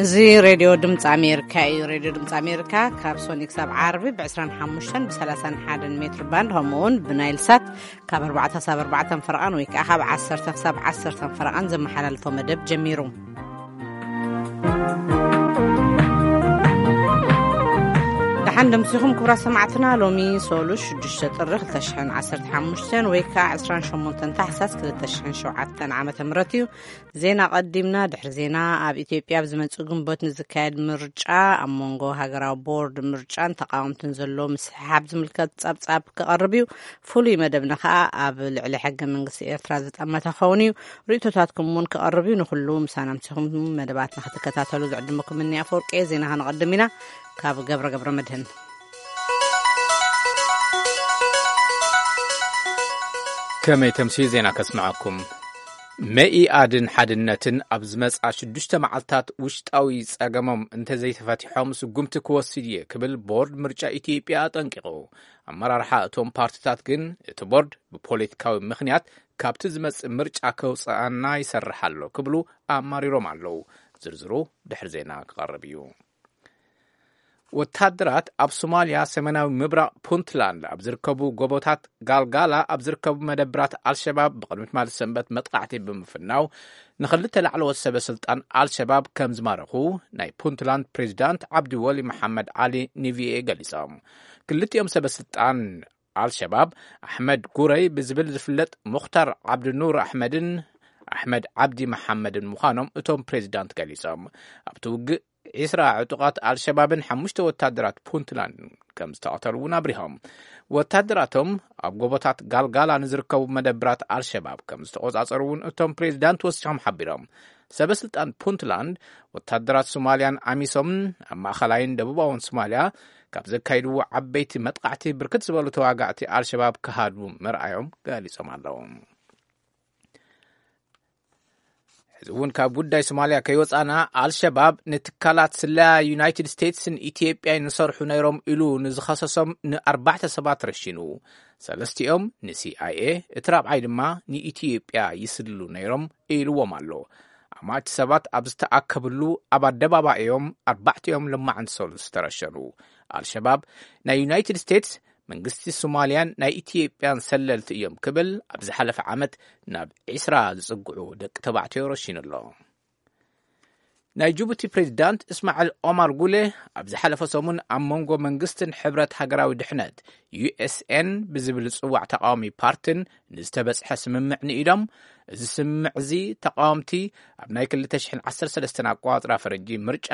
እዚ ሬድዮ ድምፂ ኣሜሪካ እዩ። ሬድዮ ድምፂ ኣሜሪካ ካብ ሶኒ ክሳብ ዓርቢ ብ25 ብ31 ሜትር ባንድ፣ ከምኡ እውን ብናይል ሳት ካብ ኣርባዕተ ሳብ ኣርባዕተ ፈረቓን ወይ ከዓ ካብ ዓሰርተ ክሳብ ዓሰርተ ፈረቓን ዘመሓላልፎ መደብ ጀሚሩ። ደሓን ደምሲኹም ክቡራት ሰማዕትና። ሎሚ ሶሉ ሽዱሽተ ጥሪ ክልተ ሽሕን ዓሰርተ ሓሙሽተን ወይ ከዓ ዕስራን ሸሞንተን ታሕሳስ ክልተ ሽሕን ሸውዓተን ዓመተ ምህረት እዩ። ዜና ቀዲምና። ድሕሪ ዜና፣ ኣብ ኢትዮጵያ ኣብ ዝመጽእ ግንቦት ንዝካየድ ምርጫ ኣብ መንጎ ሃገራዊ ቦርድ ምርጫን ተቃወምትን ዘሎ ምስሕሓብ ዝምልከት ጸብጻብ ክቐርብ እዩ። ፍሉይ መደብና ከኣ ኣብ ልዕሊ ሕገ መንግስቲ ኤርትራ ዝጠመተ ክኸውን እዩ። ርእይቶታትኩም እውን ክቐርብ እዩ። ንኹሉ ምሳና ምሲኹም መደባትና ክትከታተሉ ዝዕድመኩም እኒ ኣፈወርቂ እየ። ዜና ከነቐድም ኢና። ካብ ገብረ ገብረ መድህን። ከመይ ተምሲ ዜና ከስምዓኩም። መኢኣድን ሓድነትን ኣብ ዝመጽኣ ሽዱሽተ መዓልታት ውሽጣዊ ጸገሞም እንተዘይተፈቲሖም ስጉምቲ ክወስድ እየ ክብል ቦርድ ምርጫ ኢትዮጵያ ኣጠንቂቑ። ኣመራርሓ እቶም ፓርቲታት ግን እቲ ቦርድ ብፖለቲካዊ ምኽንያት ካብቲ ዝመጽእ ምርጫ ከውጽኣና ይሰርሕ ኣሎ ክብሉ ኣማሪሮም ኣለዉ። ዝርዝሩ ድሕሪ ዜና ክቐርብ እዩ። ወታደራት ኣብ ሶማልያ ሰሜናዊ ምብራቕ ፑንትላንድ ኣብ ዝርከቡ ጎቦታት ጋልጋላ ኣብ ዝርከቡ መደብራት ኣልሸባብ ብቕድሚ ትማሊ ሰንበት መጥቃዕቲ ብምፍናው ንኽልተ ላዕለዎት ሰበ ስልጣን ኣልሸባብ ከም ዝማረኹ ናይ ፑንትላንድ ፕሬዚዳንት ዓብዲ ወሊ መሓመድ ዓሊ ንቪኤ ገሊጾም። ክልቲኦም ሰበ ስልጣን ኣልሸባብ ኣሕመድ ጉረይ ብዝብል ዝፍለጥ ሙኽታር ዓብዲ ኑር ኣሕመድን ኣሕመድ ዓብዲ መሓመድን ምዃኖም እቶም ፕሬዚዳንት ገሊጾም። ኣብቲ ውግእ ዒስራ ዕጡቓት ኣልሸባብን ሓሙሽተ ወታደራት ፑንትላንድን ከም ዝተቐተሉ እውን ኣብሪሆም። ወታደራቶም ኣብ ጎቦታት ጋልጋላ ንዝርከቡ መደብራት ኣልሸባብ ከም ዝተቖጻጸሩ እውን እቶም ፕሬዚዳንት ወሲኾም ሓቢሮም። ሰበ ስልጣን ፑንትላንድ ወታደራት ሶማልያን ኣሚሶምን ኣብ ማእኸላይን ደቡባውን ሶማልያ ካብ ዘካይድዎ ዓበይቲ መጥቃዕቲ ብርክት ዝበሉ ተዋጋእቲ ኣልሸባብ ክሃድሙ ምርኣዮም ገሊጾም ኣለዉ። ሕዚ እውን ካብ ጉዳይ ሶማልያ ከይወፃና፣ ኣልሸባብ ንትካላት ስለያ ዩናይትድ ስቴትስን ኢትዮጵያን ይሰርሑ ነይሮም ኢሉ ንዝኸሰሶም ንኣርባዕተ ሰባት ረሺኑ። ሰለስቲኦም ንሲኣይኤ፣ እቲ ራብዓይ ድማ ንኢትዮጵያ ይስልሉ ነይሮም ኢልዎም ኣሎ። ኣማእቲ ሰባት ኣብ ዝተኣከብሉ ኣብ ኣደባባይ እዮም ኣርባዕቲኦም ለማዓንቲ ሰሉስ ዝተረሸኑ። ኣልሸባብ ናይ ዩናይትድ ስቴትስ፣ መንግስቲ ሶማልያን ናይ ኢትዮጵያን ሰለልቲ እዮም ክብል ኣብ ዝሓለፈ ዓመት ናብ ዒስራ ዝጽግዑ ደቂ ተባዕትዮ ረሺኑ ኣሎ። ናይ ጅቡቲ ፕሬዚዳንት እስማዕል ኦማር ጉሌ ኣብ ዝሓለፈ ሰሙን ኣብ መንጎ መንግስትን ሕብረት ሃገራዊ ድሕነት፣ ዩኤስኤን፣ ብዝብል ዝጽዋዕ ተቃዋሚ ፓርትን ንዝተበጽሐ ስምምዕ ንኢዶም፣ እዚ ስምምዕ እዚ ተቃወምቲ ኣብ ናይ ክልተ ሽሕን ዓሰርተ ሰለስተን ኣቆጻጽራ ፈረንጂ ምርጫ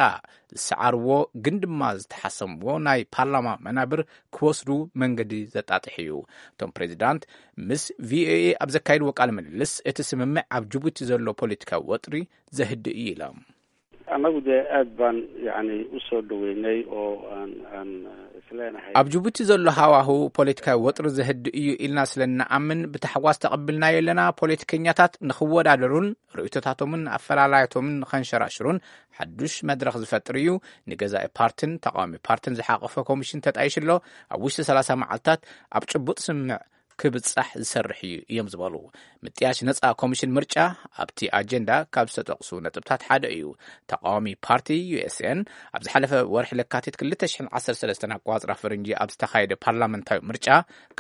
ዝሰዓርዎ ግን ድማ ዝተሓሰምዎ ናይ ፓርላማ መናብር ክወስዱ መንገዲ ዘጣጥሕ እዩ። እቶም ፕሬዚዳንት ምስ ቪኦኤ ኣብ ዘካየድዎ ቃለ ምልልስ፣ እቲ ስምምዕ ኣብ ጅቡቲ ዘሎ ፖለቲካዊ ወጥሪ ዘህድእ እዩ ኢሎም። Annagu dee aad baan, yacni, u soo dhaweynay oo aan, aan, eh, isleenahay. ኣብ ጅቡቲ ዘሎ ሃዋሁ ፖለቲካዊ ወጥሪ ዘህድእ እዩ ኢልና ስለ እንኣምን ብታሕጓስ ተቐብልናዮ ኣለና። ፖለቲከኛታት ንኽወዳደሩን ርእይቶታቶምን ኣፈላላያቶምን ንኸንሸራሽሩን ሓዱሽ መድረኽ ዝፈጥር እዩ። ንገዛኢ ፓርትን ተቃዋሚ ፓርትን ዝሓቆፈ ኮሚሽን ተጣይሹ ኣሎ። ኣብ ውሽጢ ሰላሳ መዓልታት ኣብ ጭቡጥ ስምምዕ ክብጻሕ ዝሰርሕ እዩ እዮም ዝበሉ። ምጥያሽ ነጻ ኮሚሽን ምርጫ ኣብቲ ኣጀንዳ ካብ ዝተጠቕሱ ነጥብታት ሓደ እዩ። ተቃዋሚ ፓርቲ ዩኤስኤን ኣብ ዝሓለፈ ወርሒ ለካቲት ክልተ ሽሕን ዓሰርተ ሰለስተን ኣቆጻጽራ ፈረንጂ ኣብ ዝተኻየደ ፓርላመንታዊ ምርጫ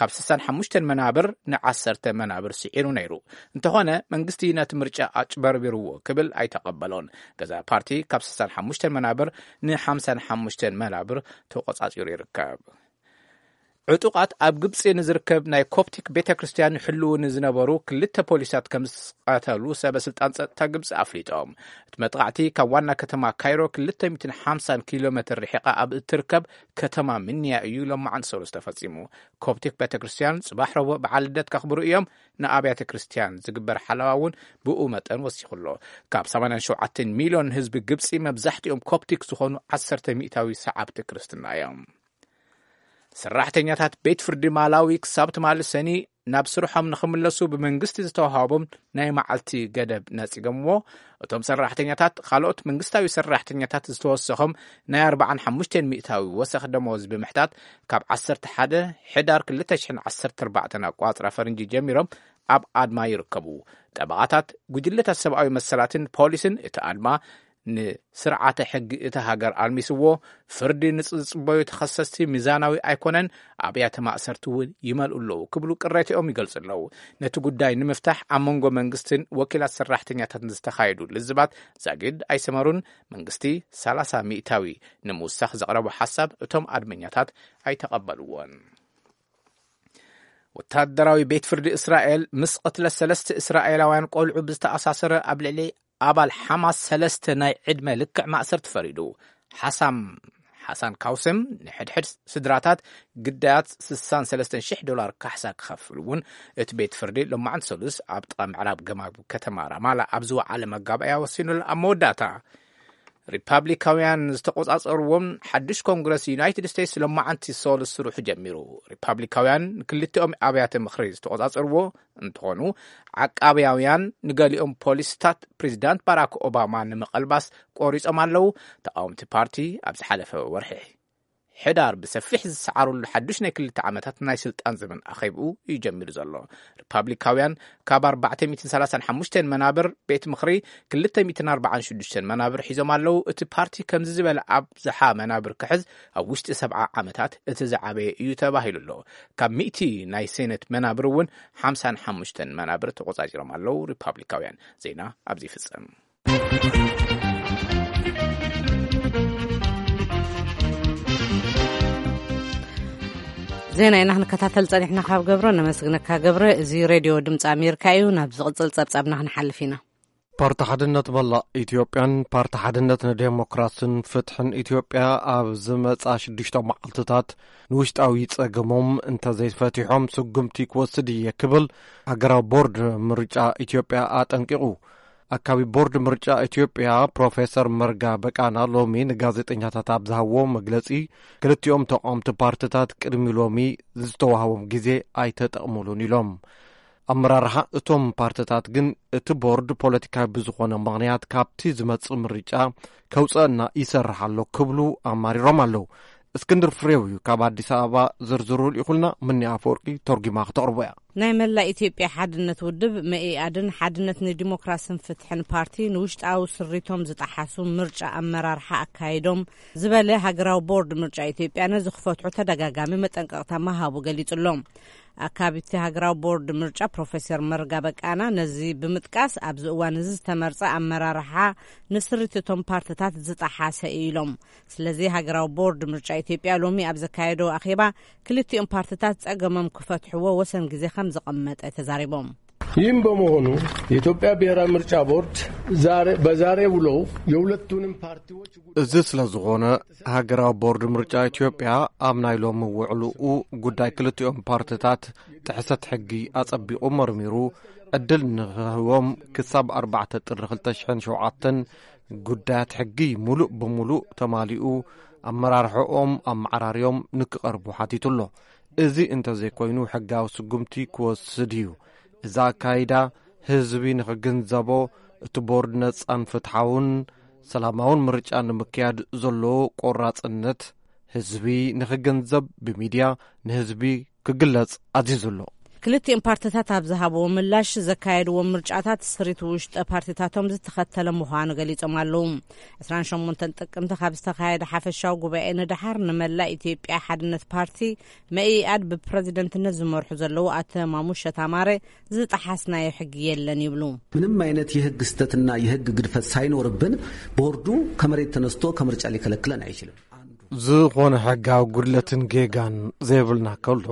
ካብ ስሳን ሓሙሽተን መናብር ንዓሰርተ መናብር ስዒሩ ነይሩ። እንተኾነ መንግስቲ ነቲ ምርጫ ኣጭበርቢርዎ ክብል ኣይተቐበሎን። ገዛኢ ፓርቲ ካብ ስሳን ሓሙሽተን መናብር ንሓምሳን ሓሙሽተን መናብር ተቆጻጺሩ ይርከብ። ዕጡቓት ኣብ ግብጺ ንዝርከብ ናይ ኮፕቲክ ቤተ ክርስቲያን ይሕልዉ ንዝነበሩ ክልተ ፖሊሳት ከም ዝቐተሉ ሰበ ስልጣን ጸጥታ ግብጺ ኣፍሊጦም። እቲ መጥቓዕቲ ካብ ዋና ከተማ ካይሮ ክልተ ሚእትን ሓምሳን ኪሎ ሜትር ርሒቓ ኣብ እትርከብ ከተማ ምንያ እዩ ሎማዓንቲ ሰሉስ ተፈጺሙ። ኮፕቲክ ቤተ ክርስቲያን ጽባሕ ረቡዕ በዓል ልደት ከኽብሩ እዮም። ንኣብያተ ክርስቲያን ዝግበር ሓለዋ እውን ብኡ መጠን ወሲኹ ኣሎ። ካብ ሰማንያን ሸውዓተን ሚልዮን ህዝቢ ግብጺ መብዛሕትኦም ኮፕቲክ ዝኾኑ ዓሰርተ ሚእታዊ ሰዓብቲ ክርስትና እዮም። ሰራሕተኛታት ቤት ፍርዲ ማላዊ ክሳብ ትማሊ ሰኒ ናብ ስርሖም ንኽምለሱ ብመንግስቲ ዝተዋሃቦም ናይ መዓልቲ ገደብ ነጺጎምዎ። እቶም ሰራሕተኛታት ካልኦት መንግስታዊ ሰራሕተኛታት ዝተወሰኾም ናይ ኣርባዓን ሓሙሽተን ሚእታዊ ወሰኽ ደመወዝ ብምሕታት ካብ ዓሰርተ ሓደ ሕዳር ክልተ ሽሕን ዓሰርተ ኣርባዕተን ኣቋጽራ ፈረንጂ ጀሚሮም ኣብ ኣድማ ይርከቡ። ጠበቓታት፣ ጉጅለታት ሰብኣዊ መሰላትን ፖሊስን እቲ ኣድማ ንስርዓተ ሕጊ እታ ሃገር ኣልሚስዎ፣ ፍርዲ ንዝጽበዩ ተኸሰስቲ ሚዛናዊ ኣይኮነን፣ ኣብያተ ማእሰርቲ እውን ይመልኡ ኣለዉ ክብሉ ቅሬታኦም ይገልጹ ኣለዉ። ነቲ ጉዳይ ንምፍታሕ ኣብ መንጎ መንግስትን ወኪላት ሰራሕተኛታትን ዝተኻየዱ ልዝባት ዛጊድ ኣይሰመሩን። መንግስቲ ሰላሳ ሚእታዊ ንምውሳኽ ዘቕረቦ ሓሳብ እቶም ኣድመኛታት ኣይተቐበልዎን። ወታደራዊ ቤት ፍርዲ እስራኤል ምስ ቅትለት ሰለስተ እስራኤላውያን ቆልዑ ብዝተኣሳሰረ ኣብ ልዕሊ ኣባል ሓማስ ሰለስተ ናይ ዕድመ ልክዕ ማእሰርቲ ፈሪዱ። ሓሳም ሓሳን ካውስም ንሕድሕድ ስድራታት ግዳያት ስሳን ሰለስተን ሽሕ ዶላር ካሕሳ ክኸፍል እውን እቲ ቤት ፍርዲ ሎማዓንቲ ሰሉስ ኣብ ጥቓ ምዕራብ ገማግብ ከተማ ራማላ ኣብ ዝወዓለ መጋባእያ ወሲኑሉ። ኣብ መወዳእታ ሪፓብሊካውያን ዝተቆጻጸርዎም ሓድሽ ኮንግረስ ዩናይትድ ስቴትስ ሎማዓንቲ ሰሉስ ስርሑ ጀሚሩ። ሪፓብሊካውያን ንክልቲኦም ኣብያተ ምኽሪ ዝተቆጻጸርዎ እንትኾኑ፣ ዓቃብያውያን ንገሊኦም ፖሊስታት ፕሬዚዳንት ባራክ ኦባማ ንምቐልባስ ቆሪጾም ኣለዉ። ተቃወምቲ ፓርቲ ኣብ ዝሓለፈ ወርሒ ሕዳር ብሰፊሕ ዝሰዓረሉ ሓዱሽ ናይ ክልተ ዓመታት ናይ ስልጣን ዘመን ኣኼብኡ እዩ ጀሚሩ ዘሎ። ሪፓብሊካውያን ካብ ኣርባዕተ ሚእትን ሰላሳን ሓሙሽተን መናብር ቤት ምኽሪ ክልተ ሚእትን ኣርባዓን ሽዱሽተን መናብር ሒዞም ኣለዉ። እቲ ፓርቲ ከምዚ ዝበለ ኣብዝሓ መናብር ክሕዝ ኣብ ውሽጢ ሰብዓ ዓመታት እቲ ዝዓበየ እዩ ተባሂሉ ኣሎ። ካብ ሚእቲ ናይ ሴኔት መናብር እውን ሓምሳን ሓሙሽተን መናብር ተቆጻጺሮም ኣለዉ ሪፓብሊካውያን። ዜና ኣብዚ ይፍጸም። ዜና ኢና ክንከታተል ጸኒሕና ካብ ገብረ። ነመስግነካ ገብረ። እዚ ሬድዮ ድምፂ ኣሜሪካ እዩ። ናብ ዝቕጽል ጸብጻብና ክንሓልፍ ኢና። ፓርቲ ሓድነት መላእ ኢትዮጵያን ፓርቲ ሓድነት ንዴሞክራስን ፍትሕን ኢትዮጵያ ኣብ ዝመጻ ሽዱሽተ መዓልትታት ንውሽጣዊ ጸገሞም እንተዘይፈቲሖም ስጉምቲ ክወስድ እየ ክብል ሃገራዊ ቦርድ ምርጫ ኢትዮጵያ ኣጠንቂቑ። ኣካቢ ቦርድ ምርጫ ኢትዮጵያ ፕሮፌሰር መርጋ በቃና ሎሚ ንጋዜጠኛታት ኣብ ዝሃብዎ መግለጺ፣ ክልቲኦም ተቃወምቲ ፓርትታት ቅድሚ ሎሚ ዝተዋህቦም ግዜ ኣይተጠቕሙሉን ኢሎም። ኣመራርሓ እቶም ፓርትታት ግን እቲ ቦርድ ፖለቲካዊ ብዝኾነ ምኽንያት ካብቲ ዝመጽእ ምርጫ ከውጸአና ይሰርሕ ኣሎ ክብሉ ኣማሪሮም ኣለዉ። እስክንድር ፍሬው እዩ ካብ ኣዲስ ኣበባ ዝርዝሩ ልኢኹልና። ምኒ ኣፈወርቂ ተርጉማ ክተቕርቦ እያ። ናይ መላእ ኢትዮጵያ ሓድነት ውድብ መኢኣድን ሓድነት ንዲሞክራስን ፍትሕን ፓርቲ ንውሽጣዊ ስሪቶም ዝጠሓሱ ምርጫ ኣመራርሓ ኣካይዶም ዝበለ ሃገራዊ ቦርድ ምርጫ ኢትዮጵያ ነዚ ክፈትሑ ተደጋጋሚ መጠንቀቕታ ምሃቡ ገሊጹ ኣሎ። ኣካቢቲ ሃገራዊ ቦርድ ምርጫ ፕሮፌሰር መርጋ በቃና ነዚ ብምጥቃስ ኣብዚ እዋን እዚ ዝተመርጸ ኣመራርሓ ንስሪት እቶም ፓርትታት ዝጠሓሰ እዩ ኢሎም። ስለዚ ሃገራዊ ቦርድ ምርጫ ኢትዮጵያ ሎሚ ኣብ ዘካየዶ ኣኼባ ክልቲኦም ፓርትታት ጸገሞም ክፈትሕዎ ወሰን ግዜ ከም ዘቐመጠ ተዛሪቦም። ይህም በመሆኑ የኢትዮጵያ ብሔራዊ ምርጫ ቦርድ ዛሬ በዛሬ ውሎው የሁለቱንም ፓርቲዎች እዚ ስለ ዝኾነ ሃገራዊ ቦርድ ምርጫ ኢትዮጵያ ኣብ ናይ ሎሚ ውዕልኡ ጉዳይ ክልቲኦም ፓርትታት ጥሕሰት ሕጊ ኣጸቢቑ መርሚሩ ዕድል ንኽህቦም ክሳብ ኣርባዕተ ጥሪ ክልተ ሽሕን ሸውዓተን ጉዳያት ሕጊ ሙሉእ ብሙሉእ ተማሊኡ ኣመራርሕኦም ኣመዓራርዮም ንክቐርቡ ሓቲቱ ኣሎ። እዚ እንተዘይኮይኑ ሕጋዊ ስጉምቲ ክወስድ እዩ። እዚ ኣካይዳ ህዝቢ ንኽግንዘቦ እቲ ቦርድ ነጻን ፍትሓውን ሰላማውን ምርጫ ንምክያድ ዘለዎ ቆራጽነት ህዝቢ ንኽግንዘብ ብሚድያ ንህዝቢ ክግለጽ ኣዚዙ ኣሎ። ክልቲኦም ፓርትታት ኣብ ዝሃብዎ ምላሽ ዘካየድዎም ምርጫታት ስሪት ውሽጠ ፓርቲታቶም ዝተኸተለ ምዃኑ ገሊጾም ኣለዉ። ዕስራን ሸሞንተን ጥቅምቲ ካብ ዝተኻየደ ሓፈሻዊ ጉባኤ ንደሓር ንመላእ ኢትዮጵያ ሓድነት ፓርቲ መኢኣድ ብፕረዚደንትነት ዝመርሑ ዘለዉ ኣቶ ማሙሸ ታማረ ዝጠሓስናዮ ሕጊ የለን ይብሉ። ምንም አይነት የህግ ስተትና የህግ ግድፈት ሳይኖርብን ቦርዱ ከመሬት ተነስቶ ከምርጫ ሊከለክለን አይችልም። ዝኾነ ሕጋዊ ጉድለትን ጌጋን ዘይብልና ከሎ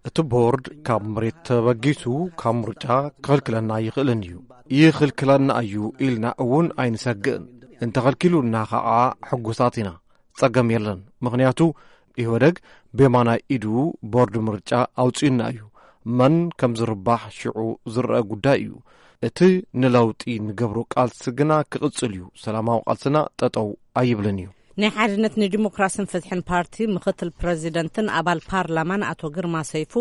እቲ ቦርድ ካብ መሬት ተበጊሱ ካብ ምርጫ ክኽልክለና ይኽእልን እዩ። ይኽልክለና እዩ ኢልና እውን ኣይንሰግእን። እንተኸልኪሉና ኸዓ ሕጉሳት ኢና። ጸገም የለን። ምኽንያቱ ኢህወደግ ብየማናይ ኢዱ ቦርድ ምርጫ ኣውጺኡና እዩ። መን ከም ዝርባሕ ሽዑ ዝረአ ጉዳይ እዩ። እቲ ንለውጢ ንገብሮ ቃልሲ ግና ክቕጽል እዩ። ሰላማዊ ቃልስና ጠጠው ኣይብልን እዩ። ናይ ሓድነት ንዲሞክራስን ፍትሕን ፓርቲ ምኽትል ፕረዚደንትን ኣባል ፓርላማን ኣቶ ግርማ ሰይፉ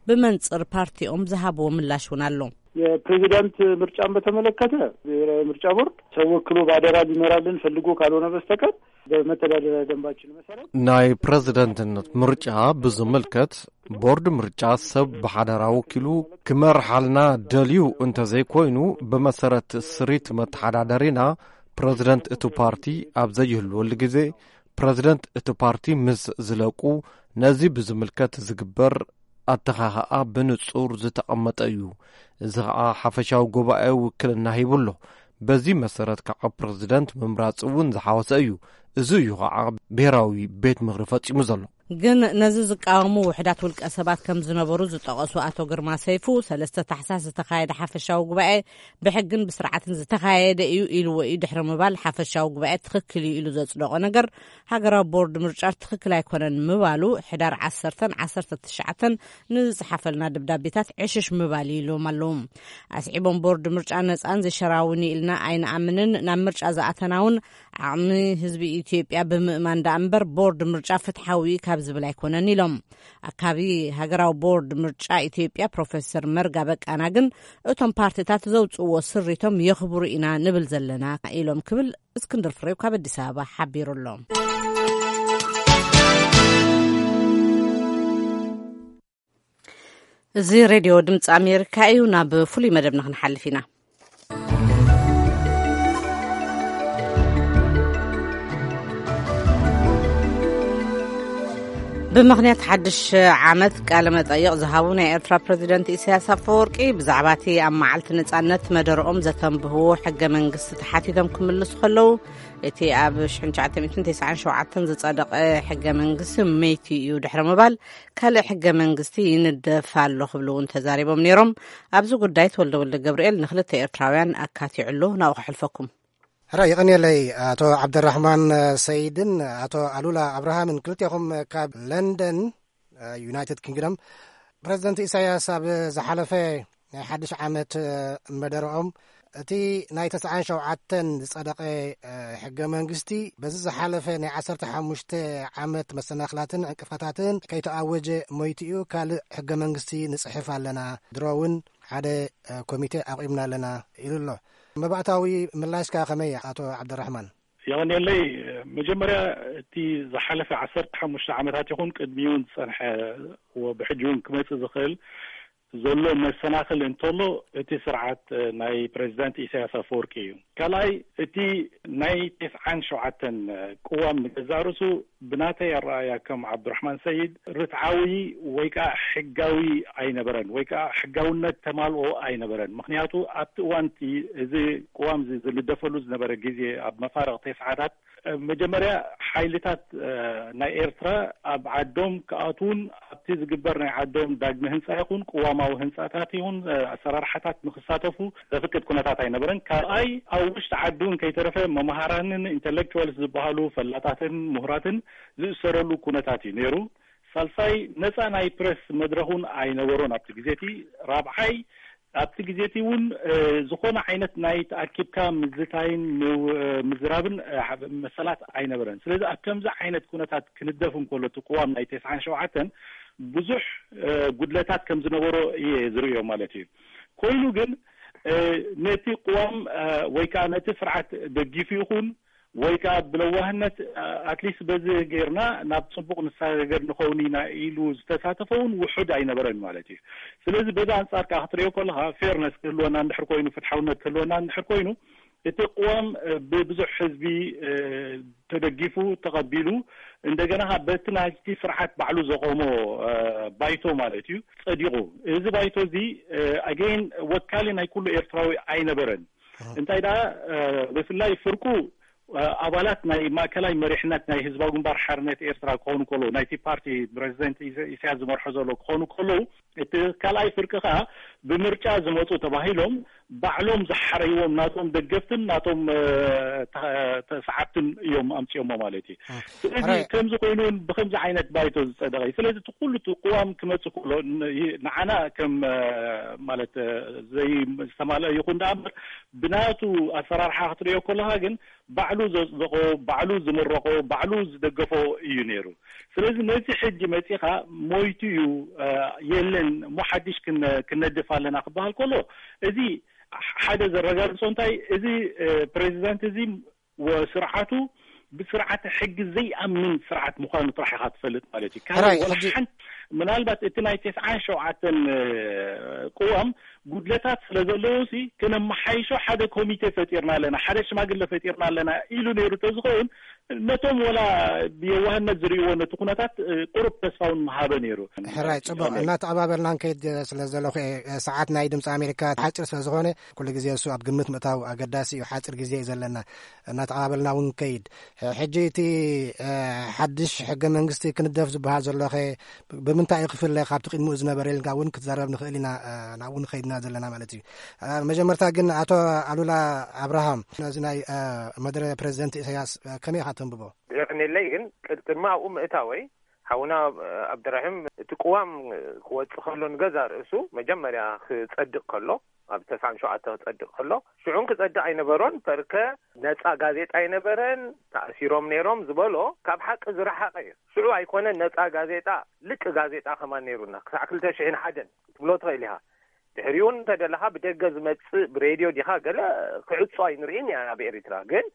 ብመንጽር ፓርቲኦም ዝሃብዎ ምላሽ እውን ኣሎ። የፕሬዚዳንት ምርጫን በተመለከተ ብሔራዊ ምርጫ ቦርድ ሰው ወክሎ በአደራ ሊመራልን ፈልጎ ካልሆነ በስተቀር በመተዳደሪያ ደንባችን መሰረት ናይ ፕረዚደንትነት ምርጫ ብዝምልከት ቦርድ ምርጫ ሰብ ብሓደራ ወኪሉ ክመርሓልና ደልዩ እንተዘይኮይኑ ብመሰረት ስሪት መተሓዳደሪና ፕረዚደንት እቲ ፓርቲ ኣብ ዘይህልወሉ ግዜ፣ ፕረዚደንት እቲ ፓርቲ ምስ ዝለቁ፣ ነዚ ብዝምልከት ዝግበር ኣተኻኽኣ ብንጹር ዝተቐመጠ እዩ። እዚ ኸኣ ሓፈሻዊ ጉባኤ ውክልና ሂቡ ኣሎ። በዚ መሰረት ከዓ ፕረዚደንት ምምራጽ እውን ዝሓወሰ እዩ። እዚ እዩ ከዓ ብሄራዊ ቤት ምኽሪ ፈጺሙ ዘሎ። ግን ነዚ ዝቃወሙ ውሕዳት ውልቀ ሰባት ከም ዝነበሩ ዝጠቐሱ ኣቶ ግርማ ሰይፉ፣ ሰለስተ ታሕሳስ ዝተኻየደ ሓፈሻዊ ጉባኤ ብሕግን ብስርዓትን ዝተኻየደ እዩ ኢልዎ እዩ ድሕሪ ምባል፣ ሓፈሻዊ ጉባኤ ትኽክል እዩ ኢሉ ዘጽደቖ ነገር ሃገራዊ ቦርድ ምርጫ ትኽክል ኣይኮነን ምባሉ፣ ሕዳር ዓሰርተን ዓሰርተ ትሽዓተን ንዝጸሓፈልና ደብዳቤታት ዕሽሽ ምባል ኢሎም ኣለዉ። ኣስዒቦም፣ ቦርድ ምርጫ ነጻን ዘሸራውን ኢልና ኣይንኣምንን፣ ናብ ምርጫ ዝኣተና እውን ዓቕሚ ህዝቢ ኢትዮጵያ ብምእማን ደኣ እምበር፣ ቦርድ ምርጫ ፍትሓዊ ካብ ዝብል ኣይኮነን ኢሎም። ኣካቢ ሃገራዊ ቦርድ ምርጫ ኢትዮጵያ ፕሮፌሰር መርጋ በቃና ግን፣ እቶም ፓርቲታት ዘውጽእዎ ስሪቶም የኽብሩ ኢና ንብል ዘለና ኢሎም ክብል እስክንድር ፍሬው ካብ ኣዲስ ኣበባ ሓቢሩ ኣሎ። እዚ ሬድዮ ድምፂ ኣሜሪካ እዩ። ናብ ፍሉይ መደብና ክንሓልፍ ኢና። ብምኽንያት ሓድሽ ዓመት ቃለ መጠይቕ ዝሃቡ ናይ ኤርትራ ፕረዚደንት ኢሳያስ ኣፈወርቂ፣ ብዛዕባ እቲ ኣብ መዓልቲ ነጻነት መደረኦም ዘተንብህዎ ሕገ መንግስቲ ተሓቲቶም ክምልሱ ከለዉ፣ እቲ ኣብ ሽሕን ትሽዓተ ሚእትን ተስዓን ሸውዓተን ዝጸደቐ ሕገ መንግስቲ መይቲ እዩ ድሕሪ ምባል፣ ካልእ ሕገ መንግስቲ ይንደፍ ኣሎ ክብሉ እውን ተዛሪቦም ነይሮም። ኣብዚ ጉዳይ ተወልደ ወልደ ገብርኤል ንክልተ ኤርትራውያን ኣካቲዑ ኣሎ። ናብኡ ከሕልፈኩም። ሕራይ፣ የቐንየለይ። ኣቶ ዓብደራሕማን ሰይድን ኣቶ ኣሉላ ኣብርሃምን፣ ክልቴኹም ካብ ለንደን፣ ዩናይትድ ኪንግደም። ፕረዚደንት ኢሳያስ ኣብ ዝሓለፈ ናይ ሓድሽ ዓመት መደረኦም፣ እቲ ናይ ተስዓን ሸውዓተን ዝጸደቐ ሕገ መንግስቲ፣ በዚ ዝሓለፈ ናይ ዓሰርተ ሓሙሽተ ዓመት መሰናኽላትን ዕንቅፋታትን ከይተኣወጀ ሞይቱ እዩ፣ ካልእ ሕገ መንግስቲ ንጽሕፍ ኣለና፣ ድሮ እውን ሓደ ኮሚቴ ኣቑምና ኣለና ኢሉ ኣሎ። መባእታዊ ምላሽካ ከመይ፣ ኣቶ ዓብደራሕማን? የቐንየለይ። መጀመርያ፣ እቲ ዝሓለፈ ዓሰርተ ሓሙሽተ ዓመታት ይኹን ቅድሚኡ እውን ዝጸንሐ፣ ወ-፣ ብሕጂ እውን ክመጽእ ዝኽእል ዘሎ መሰናኽል እንተሎ፣ እቲ ስርዓት ናይ ፕረዚደንት ኢሳያስ ኣፈወርቂ እዩ። ካልኣይ፣ እቲ ናይ ተስዓን ሸውዓተን ቅዋም ንገዛእ ርእሱ ብናተይ ኣረኣእያ ከም ዓብዱራሕማን ሰይድ ርትዓዊ ወይ ከዓ ሕጋዊ ኣይነበረን፣ ወይ ከዓ ሕጋውነት ተማልኦ ኣይነበረን። ምኽንያቱ ኣብቲ እዋን እቲ እዚ ቅዋም እዚ ዝልደፈሉ ዝነበረ ግዜ፣ ኣብ መፋርቕ ተስዓታት፣ መጀመርያ ሓይልታት፣ እ፣ ናይ ኤርትራ ኣብ ዓዶም ክኣትዉን ኣብቲ ዝግበር ናይ ዓዶም ዳግመ ህንጻ ይኹን ቅዋማዊ ህንጻታት ይኹን፣ እ፣ ኣሰራርሓታት ንክሳተፉ ዘፍቅድ ኩነታት ኣይነበረን። ካልኣይ፣ ኣብ ውሽጢ ዓዲ እውን ከይተረፈ መምሃራንን ኢንተሌክቹዋልስ ዝበሃሉ ፈላጣትን ምሁራትን ዝእሰረሉ ኩነታት እዩ ነይሩ። ሳልሳይ፣ ነጻ ናይ ፕረስ መድረኽ እውን ኣይነበሮን ኣብቲ ግዜ እቲ። ራብዓይ፣ ኣብቲ ግዜ እቲ እውን፣ እ፣ ዝኾነ ዓይነት ናይ ተኣኪብካ ምዝታይን ምው-፣ እ፣ ምዝራብን፣ እ፣ መሰላት ኣይነበረን። ስለዚ ኣብ ከምዚ ዓይነት ኩነታት ክንደፍ እንከሎ እቲ ቅዋም ናይ ተስዓን ሸውዓተን ብዙሕ፣ እ፣ ጉድለታት ከም ዝነበሮ እየ ዝርእዮ ማለት እዩ። ኮይኑ ግን፣ እ፣ ነቲ ቅዋም፣ እ፣ ወይ ከዓ ነቲ ስርዓት ደጊፉ ይኹን ወይ ከዓ ብለዋህነት፣ እ፣ ኣትሊስት በዚ ጌርና ናብ ጽቡቕ ንሰጋገር ንኸውን ኢና ኢሉ ዝተሳተፈ እውን ውሑድ ኣይነበረን ማለት እዩ። ስለዚ በዚ ኣንጻር ከዓ ክትሪኦ ከለኻ፣ ፌርነስ ክህልወና እንድሕር ኮይኑ፣ ፍትሓውነት ክህልወና እንድሕር ኮይኑ፣ እቲ ቅዋም፣ እ፣ ብብዙሕ ህዝቢ፣ እ፣ ተደጊፉ፣ ተቐቢሉ፣ እንደገና ከዓ በቲ ናይቲ ስርዓት ባዕሉ ዘቆሞ፣ እ፣ ባይቶ ማለት እዩ፣ ጸዲቑ። እዚ ባይቶ እዚ፣ እ፣ ኣገይን ወካሊ ናይ ኩሉ ኤርትራዊ ኣይነበረን። እንታይ ደኣ፣ እ፣ ብፍላይ ፍርቁ፣ እ፣ ኣባላት ናይ ማእከላይ መሪሕነት ናይ ህዝባዊ ግንባር ሓርነት ኤርትራ ክኾኑ ከለዉ፣ ናይቲ ፓርቲ ፕረዚደንት ኢሰ-፣ ኢሳያስ ዝመርሖ ዘሎ ክኾኑ ከለዉ፣ እቲ ካልኣይ ፍርቂ ከኣ ብምርጫ ዝመጹ ተባሂሎም ባዕሎም ዝሓረይዎም ናቶም ደገፍትን ናቶም፣ እ፣ ተ-፣ ተሰዓብትን እዮም ኣምጺኦሞ ማለት እዩ። እ፣ ስለዚ ሕራይ ከምዚ ኮይኑ እውን ብከምዚ ዓይነት ባይቶ ዝጸደቐ እዩ። ስለዚ እቲ ኩሉ እቲ ቅዋም ክመጽእ ከሎ ን-፣ ይ-፣ ንዓና ከም፣ እ፣ ማለት፣ እ፣ ዘይ-፣ ዝተማልአ ይኹን ደኣ እምበር ብናቱ ኣሰራርሓ ክትርእዮ ከለኻ ግን ባዕሉ ዘጽደቖ፣ ባዕሉ ዝምረቖ፣ ባዕሉ ዝደገፎ እዩ ነይሩ። ስለዚ ነዚ ሕጂ መጺኻ ሞይቱ እዩ፣ እ፣ የለን እሞ ሓድሽ ክነ-፣ ክነድፍ ኣለና ክበሃል ከሎ፣ እዚ ሓደ ዘረጋግጾ እንታይ፣ እዚ፣ እ፣ ፕሬዚዳንት እዚ ወ-፣ ስርዓቱ ብስርዓተ ሕጊ ዘይኣምን ስርዓት ምዃኑ ጥራሕ ኢኻ ትፈልጥ ማለት እዩ። ካልእ ሕራይ፣ ወላ ሕጂ ሓንቲ፣ ምናልባት እቲ ናይ ተስዓን ሸውዓተን፣ እ፣ ቅዋም ጉድለታት ስለ ዘለዉ ሲ፣ ከነመሓይሾ ሓደ ኮሚቴ ፈጢርና ኣለና፣ ሓደ ሽማግለ ፈጢርና ኣለና ኢሉ ነይሩ ተዝኸውን፣ ነቶም ወላ ብየዋህነት ዝርእይዎ ነቲ ኩነታት፣ እ፣ ቁሩብ ተስፋ እውን ምሃበ ነይሩ። ሕራይ፣ ጽቡቕ። እናተቐባበልና ንከይድ ስለ ዘለኹ እየ። ሰዓት ናይ ድምፂ ኣሜሪካ ሓፂር ስለ ዝኾነ፣ ኩሉ ግዜ እሱ ኣብ ግምት ምእታው ኣገዳሲ እዩ። ሓፂር ግዜ እዩ ዘለና። እናተቐባበልና እውን ንከይድ። ሕ-፣ ሕጂ እቲ፣ እ፣ ሓድሽ ሕገ መንግስቲ ክንደፍ ዝበሃል ዘሎ ኸ ብምንታይ እዩ ክፍለ ካብቲ ቅድሚኡ ዝነበረ ኢልካ እውን ክትዛረብ ንኽእል ኢና፣ እ፣ ናብኡ ንኸይድና ዘለና ማለት እዩ። እ፣ መጀመርታ ግን ኣቶ ኣሉላ ኣብርሃም ነዚ ናይ፣ እ፣ መደረ ፕሬዚደንት ኢሳያስ፣ እ፣ ከመይ ኢኻ ተንብቦ? የቐንየለይ፣ ግን ቅድ-፣ ቅድሚ ኣብኡ ምእታወይ ሓውና፣ እ፣ ኣብደራሂም እቲ ቅዋም ክወጽእ ከሎ ንገዛ ርእሱ መጀመርያ ክጸድቕ ከሎ ኣብ ተስዓን ሸውዓተ ክጸድቕ ከሎ ሽዑን ክጸድቕ ኣይነበሮን። ፐርከ ነጻ ጋዜጣ ኣይነበረን፣ ተኣሲሮም ነይሮም ዝበሎ ካብ ሓቂ ዝረሓቐ እዩ። ሽዑ ኣይኮነን ነጻ ጋዜጣ፣ ልቂ ጋዜጣ ከማን ነይሩና ክሳዕ ክልተ ሽሕን ሓደን ክትብሎ ትኽእል ኢኻ። ድሕሪኡ እንተ ደለኻ ብደገ ዝመጽእ ብሬድዮ ዲኻ ገለ ክዕጾ ኣይንርእን ኢና ኣብ ኤሪትራ። ግን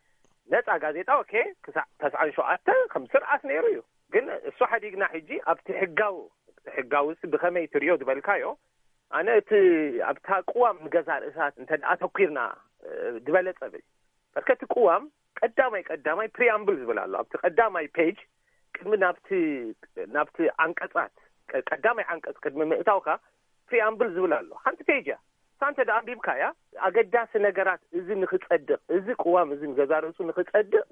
ነጻ ጋዜጣ ኦኬ ክሳዕ ተስዓን ሸውዓተ ከም ስርዓት ነይሩ እዩ። ግን እሱ ሓዲግና ሕጂ ኣብቲ ሕጋዊ፣ ሕጋዊ ሲ ብኸመይ ትርእዮ ዝበልካዮ፣ ኣነ እቲ ኣብታ ቅዋም ንገዛ ርእሳት እንተ ደኣ ተኲርና፣ እ፣ ዝበለጸ ብል። በርከቲ ቅዋም ቀዳማይ፣ ቀዳማይ ፕሪኣምብል ዝብል ኣሎ። ኣብቲ ቀዳማይ ፔጅ ቅድሚ ናብቲ፣ ናብቲ ዓንቀጻት፣ ቀ-፣ ቀዳማይ ዓንቀጽ ቅድሚ ምእታውካ ፕሪኣምብል ዝብል ኣሎ። ሓንቲ ፔጅ እያ። እሳ እንተ ደኣ ኣንቢብካያ፣ ኣገዳሲ ነገራት እዚ ንኽጸድቕ፣ እዚ ቅዋም እዚ ንገዛ ርእሱ ንኽጸድቕ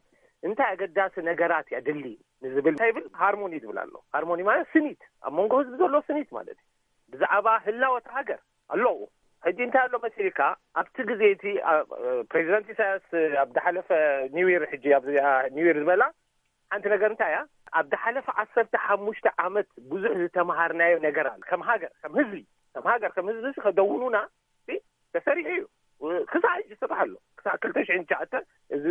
እንታይ ኣገዳሲ ነገራት እያ ድሊ ንዝብል እንታይ ይብል? ሃርሞኒ ዝብል ኣሎ። ሃርሞኒ ማለት ስኒት፣ ኣብ መንጎ ህዝቢ ዘሎ ስኒት ማለት እዩ። ብዛዕባ ህላወ እታ ሃገር ኣለዉ። ሕጂ እንታይ ኣሎ መሲልካ፣ ኣብቲ ግዜ እቲ፣ አ፣ ፕሬዚደንት ኢሳያስ ኣብ ዝሓለፈ ኒው ይር፣ ሕጂ ኣብዚኣ ኒው ይር ዝበላ ሓንቲ ነገር እንታይ እያ? ኣብ ዝሓለፈ ዓሰርተ ሓሙሽተ ዓመት ብዙሕ ዝተምሃርናዮ ነገር ኣሎ። ከም ሃገር፣ ከም ህዝቢ፣ ከም ሃገር፣ ከም ህዝቢ ከደውኑና ሲ ተሰሪሑ እዩ። ክሳዕ ሕጂ ይስራሕ ኣሎ። ክሳዕ ክልተ ሽሕን ትሽዓተ እዚ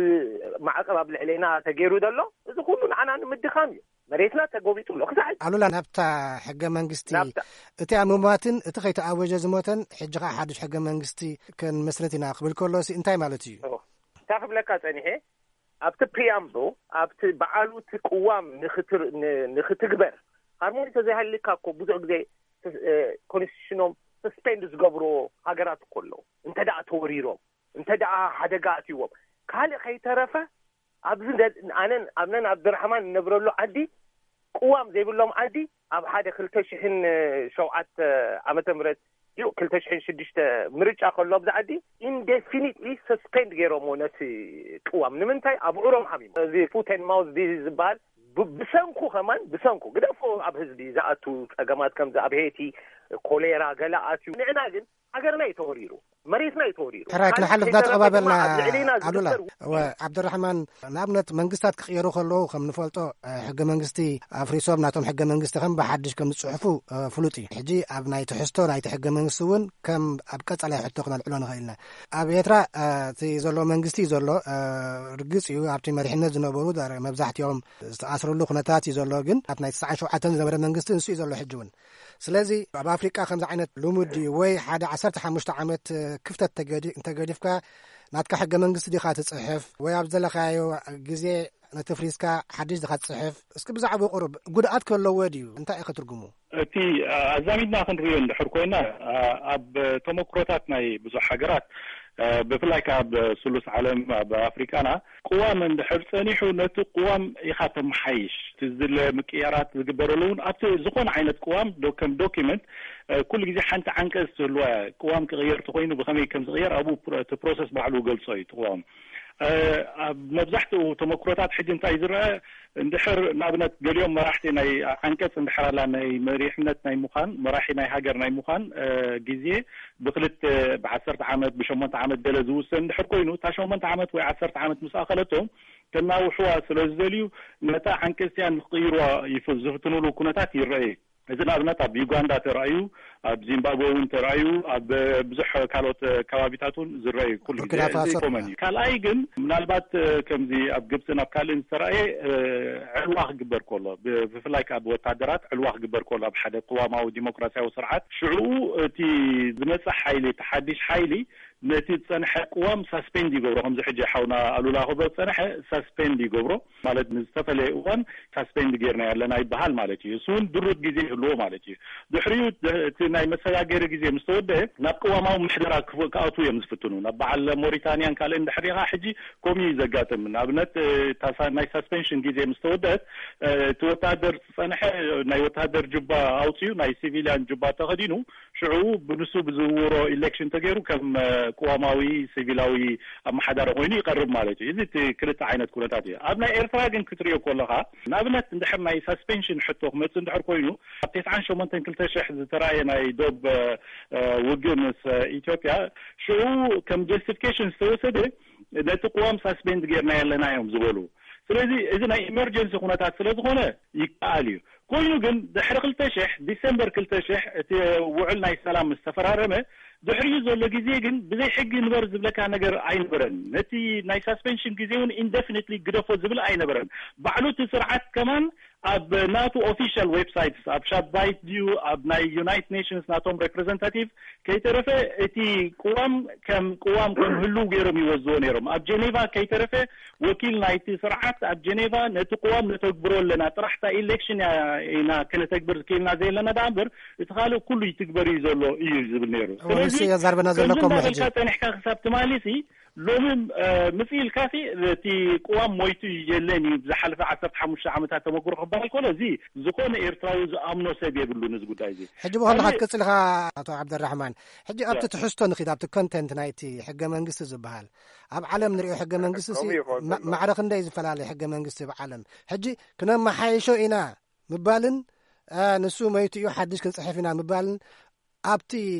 ማዕቀብ ኣብ ልዕሌና ተገይሩ ዘሎ፣ እዚ ኩሉ ንዓና ንምድኻም እዩ። መሬትና ተጎቢጡ ኣሎ። ክሳዕ ሕጂ ኣሉላ፣ ናብታ ሕገ መንግስቲ፣ ናብታ እቲኣ ምሟትን እቲ ከይተኣወጀ ዝሞተን፣ ሕጂ ኸዓ ሓድሽ ሕገ መንግስቲ ክንመስርት ኢና ክብል ከሎ ሲ እንታይ ማለት እዩ? ኦ፣ እንታይ ክብለካ ጸኒሐ፣ ኣብቲ ፕሪያምብል፣ ኣብቲ በዓሉ እቲ ቅዋም ንኽትር-፣ ን-፣ ንኽትግበር፣ ሃርሞኒ ተዘይሃልካ እኮ ብዙሕ ግዜ ስ-፣ እ፣ ኮንስቲቱሽኖም ሰስፔንድ ዝገብርዎ ሃገራት እኮ ኣለዉ። እንተ ደኣ ተወሪሮም፣ እንተ ደኣ ሓደጋ ኣትይዎም፣ ካልእ ከይተረፈ ኣብዚ ደ-፣ ኣነን፣ ኣነን ኣብደራሕማን እንነብረሉ ዓዲ ቅዋም ዘይብሎም ዓዲ ኣብ ሓደ ክልተ ሽሕን ሸውዓተ ዓመተ ምህረት እዩ፣ ክልተ ሽሕን ሽዱሽተ ምርጫ ከሎ ኣብዚ ዓዲ ኢንዴፊኒትሊ ሰስፔንድ ገይሮምዎ ነቲ ቅዋም። ንምንታይ? ኣብዑሮም ሓሚሞም። እዚ ፉት ኤንድ ማውዝ ዲዚዝ ዝበሃል ብ-፣ ብሰንኩ ከማን፣ ብሰንኩ ግደፎ ኣብ ህዝቢ ዝኣቱ ጸገማት ከምዚ ኣብ ሄይቲ ኮሌራ ገለ ኣትዩ። ንዕና ግን ሃገርና እዩ ተወሪሩ፣ መሬትና እዩ ተወሪሩ። ሕራይ ካልእ ክንሓልፍ ከይተረፈ እናተቐባበልና ድማ ኣብ ልዕሌና ኣሉላ፣ ዝግበር እወ፣ ዓብደራሕማን፣ ንኣብነት መንግስታት ክቕየሩ ከለዉ ከም ንፈልጦ፣ እ፣ ሕገ መንግስቲ ኣፍሪሶም ናቶም ሕገ መንግስቲ ከም ብሓድሽ ከም ዝጽሕፉ፣ እ፣ ፍሉጥ እዩ። ሕጂ ኣብ ናይ ትሕዝቶ ናይቲ ሕገ መንግስቲ እውን ከም ኣብ ቀጻላይ ሕቶ ክነልዕሎ ንኽእል ኢና። ኣብ ኤርትራ፣ እ፣ እቲ ዘሎ መንግስቲ እዩ ዘሎ፣ እ፣ ርግጽ እዩ ኣብቲ መሪሕነት ዝነበሩ ዳር-፣ መብዛሕትኦም ዝተኣስርሉ ኩነታት እዩ ዘሎ። ግን ኣብ ናይ ተስዓን ሸውዓተን ዝነበረ መንግስቲ ንሱ እዩ ዘሎ ሕጂ እውን። ስለዚ ኣብ ኣፍሪቃ ከምዚ ዓይነት ልሙድ ድዩ? ወይ ሓደ ዓሰርተ ሓሙሽተ ዓመት ክፍተት ተገዲ-፣ እንተገዲፍካ ናትካ ሕገ መንግስቲ ዲኻ ትጽሕፍ? ወይ ኣብ ዘለኻዮ ግዜ ነቲ ፍሪዝካ ሓድሽ ዲኻ ትጽሕፍ? እስኪ ብዛዕባኡ ቁሩብ ጉድኣት ከለዎ ድዩ? እንታይ እዩ ከትርጉሙ? እቲ፣ ኣ፣ ኣዛሚድና ክንርእዮ እንድሕር ኮይና፣ ኣ፣ ኣብ ተመክሮታት ናይ ብዙሕ ሃገራት፣ ኣ፣ ብፍላይ ከኣ ኣብ ስሉስ ዓለም፣ ኣብ ኣፍሪቃና፣ ቅዋም እንድሕር ጸኒሑ፣ ነቲ ቅዋም ኢኻ ተመሓይሽ። እቲ ዝድለ ምቅያራት ዝግበረሉ እውን ኣብቲ ዝኾነ ዓይነት ቅዋም ዶ-፣ ከም ዶኪመንት፣ እ፣ ኩሉ ግዜ ሓንቲ ዓንቀጽ ትህልዋ እያ። ቅዋም ክቕየር እንተኾይኑ ብኸመይ ከም ዝቕየር ኣብኡ ፕሮ-፣ እቲ ፕሮሰስ ባዕሉ ይገልጾ እዩ እቲ ቅዋም። እ፣ ኣብ መብዛሕትኡ ተመክሮታት ሕጂ እንታይ ዝረአ፣ እንድሕር ንኣብነት ገሊኦም መራሕቲ ናይ ዓንቀጽ እንድሕር ኣላ ናይ መሪሕነት ናይ ምዃን፣ መራሒ ናይ ሃገር ናይ ምዃን፣ እ፣ ግዜ ብክልተ፣ ብዓሰርተ ዓመት፣ ብሸሞንተ ዓመት ገለ ዝውሰን እንድሕር ኮይኑ፣ እታ ሸሞንተ ዓመት ወይ ዓሰርተ ዓመት ምስ ኣኸለቶም፣ ከናውሕዋ ስለ ዝደልዩ፣ ነታ ዓንቀጽ እቲኣ ንክቕይርዋ ይፍ-፣ ዝፍትኑሉ ኩነታት ይረኣዩ። እዚ ንኣብነት ኣብ ዩጋንዳ ተራእዩ፣ ኣብ ዚምባብወ እውን ተራእዩ፣ ኣብ ብዙሕ ካልኦት ከባቢታት እውን ዝረኣዩ ኩሉ ግዜ ቡርኪና ፋሶ። እዚ ኮመን እዩ። ካልኣይ ግን ምናልባት ከምዚ ኣብ ግብፅን ኣብ ካልእን ዝተራእየ፣ እ፣ ዕልዋ ክግበር ከሎ፣ ብ-፣ ብፍላይ ከኣ ብወታደራት ዕልዋ ክግበር ከሎ ኣብ ሓደ ቅዋማዊ ዲሞክራሲያዊ ስርዓት፣ ሽዑ እቲ ዝመጽእ ሓይሊ፣ እቲ ሓድሽ ሓይሊ ነቲ ዝጸንሐ ቅዋም ሳስፔንድ ይገብሮ። ከምዚ ሕጂ ሓውና ኣሉላ ክብሎ ዝጸንሐ ሳስፔንድ ይገብሮ፣ ማለት ንዝተፈለየ እዋን ሳስፔንድ ጌርና ኣለና ይበሃል ማለት እዩ። እሱ እውን ድሩት ግዜ ይህልዎ ማለት እዩ። ድሕሪኡ ድ- እቲ ናይ መሰጋገሪ ግዜ ምስ ተወደአ ናብ ቅዋማዊ ምሕደራ ክፍ- ክኣትዉ እዮም ዝፍትኑ። ናብ በዓል ሞሪታንያን ካልእን ድሕሪኻ ሕጂ ከምኡ እዩ ዘጋጥም። ንኣብነት እታ ሳ- ናይ ሳስፔንሽን ግዜ ምስ ተወደአት እቲ ወታደር ዝጸንሐ ናይ ወታደር ጁባ ኣውጺኡ ናይ ሲቪልያን ጁባ ተኸዲኑ ሽዑ ብንሱ ብዝውሮ ኢሌክሽን ተገይሩ ከም ቅዋማዊ ሲቪላዊ ኣመሓዳሪ ኮይኑ ይቐርብ ማለት እዩ። እዚ እቲ ክልተ ዓይነት ኩነታት እዩ። ኣብ ናይ ኤርትራ ግን ክትሪኦ ከለኻ ንኣብነት እንድሕር ናይ ሳስፔንሽን ሕቶ ክመጽእ እንድሕር ኮይኑ ኣብ ተስዓን ሸሞንተን ክልተ ሽሕ ዝተራእየ ናይ ዶብ ውግእ ምስ ኢትዮጵያ ሽዑ ከም ጀስቲፊኬሽን ዝተወሰደ ነቲ ቅዋም ሳስፔንድ ጌርና የለና እዮም ዝበሉ። ስለዚ እዚ ናይ ኢመርጀንሲ ኩነታት ስለ ዝኾነ ይከኣል እዩ። ኮይኑ ግን ድሕሪ ክልተ ሽሕ ዲሰምበር ክልተ ሽሕ እቲ ውዕል ናይ ሰላም ምስ ተፈራረመ ድሕሪኡ ዘሎ ግዜ ግን ብዘይ ሕጊ ንበር ዝብለካ ነገር ኣይነበረን። ነቲ ናይ ሳስፔንሽን ግዜ እውን ኢንደፊኒትሊ ግደፎ ዝብል ኣይነበረን። ባዕሉ እቲ ስርዓት ከማን ኣብ ናቱ ኦፊሻል ዌብሳይትስ ኣብ ሻባይት ድዩ ኣብ ናይ ዩናይትድ ኔሽንስ ናቶም ሬፕሬዘንታቲቭ ከይተረፈ እቲ ቅዋም ከም ቅዋም ከም ህልው ገይሮም ይወዝዎ ነይሮም። ኣብ ጀኔቫ ከይተረፈ ወኪል ናይቲ ስርዓት ኣብ ጀኔቫ ነቲ ቅዋም ነተግብሮ ኣለና ጥራሕ እታ ኢሌክሽን ኢና ክነተግብር ክኢልና ዘለና ደኣ እምበር እቲ ካልእ ኩሉ ይትግበር እዩ ዘሎ እዩ ዝብል ነይሩ። ስለዚ የዛርበና ዘሎ ከምኡ ሕጂ ጸኒሕካ ክሳብ ትማሊሲ ሎሚ ምጽእ ኢልካሲ እቲ ቅዋም ሞይቱ የለን እዩ። ብዝሓለፈ ዓሰርተ ሓሙሽተ ዓመታት ተመክሮ ክበሃል ከሎ እዚ ዝኾነ ኤርትራዊ ዝኣምኖ ሰብ የብሉን እዚ ጉዳይ እዚ። ሕጂ ብኸምዚ ክትቅጽል ኢኻ ኣቶ ዓብደራሕማን። ሕጂ ኣብቲ ትሕዝቶ ንኺድ ኣብቲ ኮንቴንት ናይቲ ሕገ መንግስቲ ዝበሃል ኣብ ዓለም ንሪኦ ሕገ መንግስቲ ማዕረ ክንደይ ዝፈላለ ሕገ መንግስቲ ኣብ ዓለም ሕጂ ክነመሓይሾ ኢና ምባልን ንሱ መይቱ እዩ ሓድሽ ክንጽሕፍ ኢና ምባልን ኣብቲ